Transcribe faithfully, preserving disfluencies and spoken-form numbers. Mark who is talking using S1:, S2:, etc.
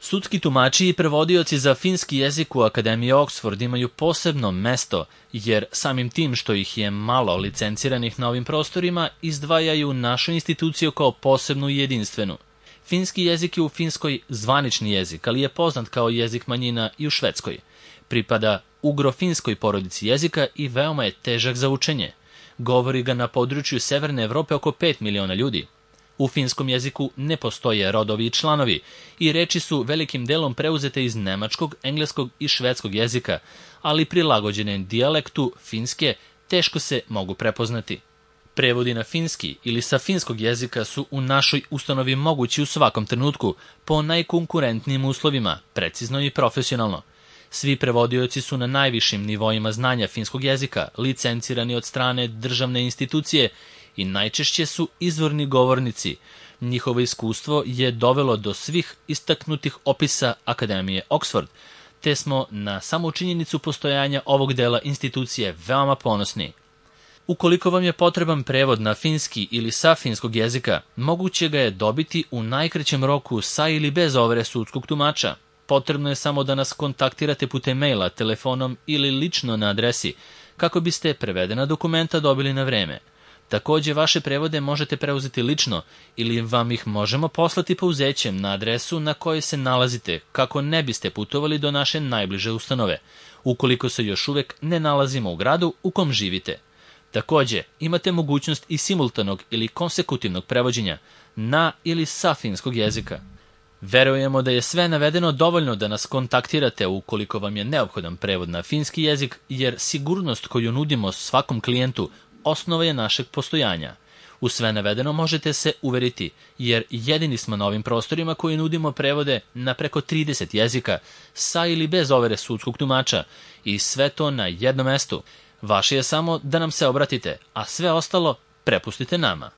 S1: Sudski tumači i prevodioci za finski jezik u Akademiji Oxford imaju posebno mesto, jer samim tim što ih je malo licenciranih na ovim prostorima, izdvajaju našu instituciju kao posebnu i jedinstvenu. Finski jezik je u Finskoj zvanični jezik, ali je poznat kao jezik manjina i u Švedskoj. Pripada ugro-finskoj porodici jezika i veoma je težak za učenje. Govori ga na području Severne Evrope oko pet miliona ljudi. U finskom jeziku ne postoje rodovi i članovi i reči su velikim delom preuzete iz nemačkog, engleskog i švedskog jezika, ali prilagođene dijalektu finske teško se mogu prepoznati. Prevodi na finski ili sa finskog jezika su u našoj ustanovi mogući u svakom trenutku po najkonkurentnijim uslovima, precizno i profesionalno. Svi prevodioci su na najvišim nivoima znanja finskog jezika, licencirani od strane državne institucije i najčešće su izvorni govornici. Njihovo iskustvo je dovelo do svih istaknutih opisa Akademije Oxford, te smo na samu činjenicu postojanja ovog dela institucije veoma ponosni. Ukoliko vam je potreban prevod na finski ili sa finskog jezika, moguće ga je dobiti u najkraćem roku sa ili bez overe sudskog tumača. Potrebno je samo da nas kontaktirate putem maila, telefonom ili lično na adresi, kako biste prevedena dokumenta dobili na vreme. Takođe, vaše prevode možete preuzeti lično ili vam ih možemo poslati pouzećem na adresu na kojoj se nalazite, kako ne biste putovali do naše najbliže ustanove, ukoliko se još uvek ne nalazimo u gradu u kom živite. Takođe, imate mogućnost i simultanog ili konsekutivnog prevođenja na ili sa finskog jezika. Verujemo da je sve navedeno dovoljno da nas kontaktirate ukoliko vam je neophodan prevod na finski jezik, jer sigurnost koju nudimo svakom klijentu osnova je našeg postojanja. U sve navedeno možete se uveriti, jer jedini smo na ovim prostorima koji nudimo prevode na preko trideset jezika, sa ili bez overe sudskog tumača, i sve to na jednom mestu. Vaše je samo da nam se obratite, a sve ostalo prepustite nama.